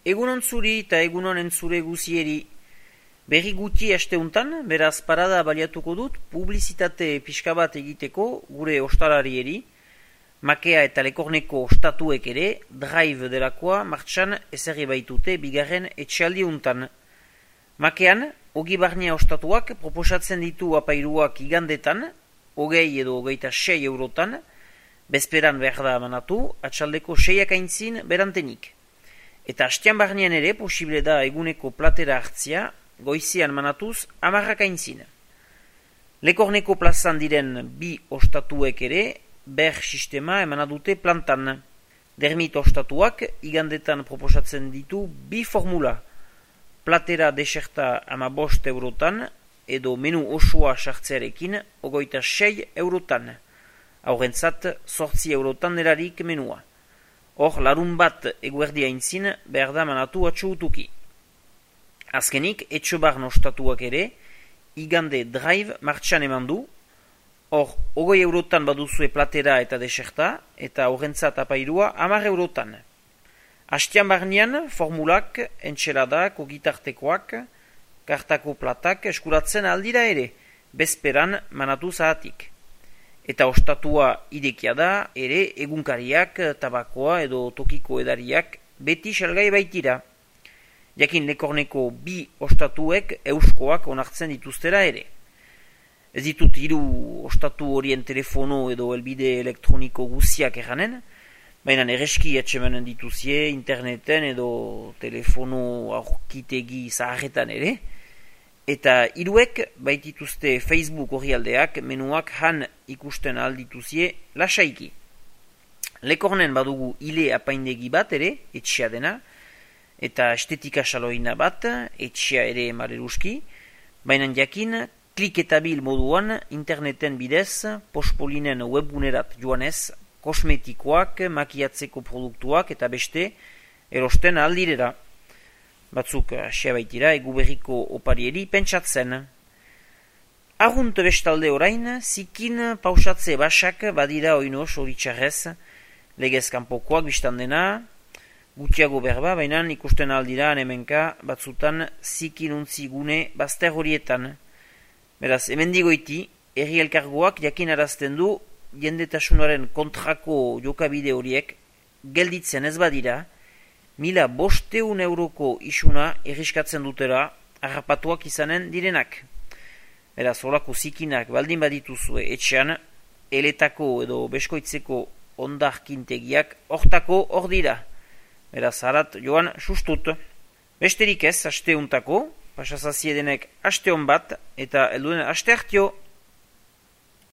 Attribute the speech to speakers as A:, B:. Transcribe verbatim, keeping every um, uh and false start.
A: Egunon zuri eta egunon entzure guzieri. Berri guti asteuntan, beraz parada baliatuko dut, publizitate pixka bat egiteko gure ostalarieri, makea eta lekorneko ostatuek ere, drive delakoa martxan ezerri baitute bigarren etxealdi untan. Makean, ogi barnia ostatuak proposatzen ditu apairuak igandetan, hogei edo hogeita sei eurotan, bezperan behar da manatu, atxaldeko seiak aintzin berantenik. Eta hastean barnean ere posible da eguneko platera hartzia, goizian manatuz amarrak aintzin. Lekorneko plazan diren bi ostatuek ere, ber sistema emanadute plantan. Dermit ostatuak igandetan proposatzen ditu bi formula. Platera deserta ama bost eurotan, edo menu osoa sartzearekin ogoita sei eurotan. Haurentzat sortzi eurotan delarik menua. Hor, larun bat eguerdia aintzin behar da manatu atxuutuki. Azkenik, etxobarn ostatuak ere, igande drive martxan eman du. Hor, ogoi eurotan baduzue platera eta deserta, eta horrentzat apairua amar eurotan. Hastean barnean, formulak, entxeladak, ogitartekoak, kartako platak eskuratzen aldira ere, bezperan manatu zahatik. Eta ostatua idekia da, ere egunkariak, tabakoa edo tokiko edariak beti salgai baitira. Jakin lekorneko bi ostatuek euskoak onartzen dituztera ere. Ez ditut hiru ostatu horien telefono edo elbide elektroniko guziak eranen, baina ereski atxemanen dituzie interneten edo telefono aurkitegi zaharretan ere, eta hiruek baitituzte Facebook orrialdeak menuak han ikusten aldituzie lasaiki. Lekornen badugu ile apaindegi bat ere, etxea dena, eta estetika saloina bat, etxea ere maleruski, baina jakin klik eta bil moduan interneten bidez, pospolinen webgunerat joanez, kosmetikoak, makiatzeko produktuak eta beste erosten aldirera. Batzuk asia baitira egu berriko oparieri pentsatzen. Arrunt bestalde orain, zikin pausatze basak badira oino soritxarrez, legez kanpokoak biztan dena, gutiago berba, baina ikusten aldira hemenka batzutan zikin untzi gune bazter horietan. Beraz, hemendigoiti, herri elkargoak jakin arazten du jendetasunaren kontrako jokabide horiek gelditzen ez badira, mila bosteun euroko isuna erriskatzen dutera harrapatuak izanen direnak. Beraz, horako zikinak baldin badituzue etxean, eletako edo beskoitzeko ondarkintegiak hortako hor dira. Beraz, harat joan sustut. Besterik ez, aste untako, pasazaziedenek aste hon bat, eta helduen aste hartio.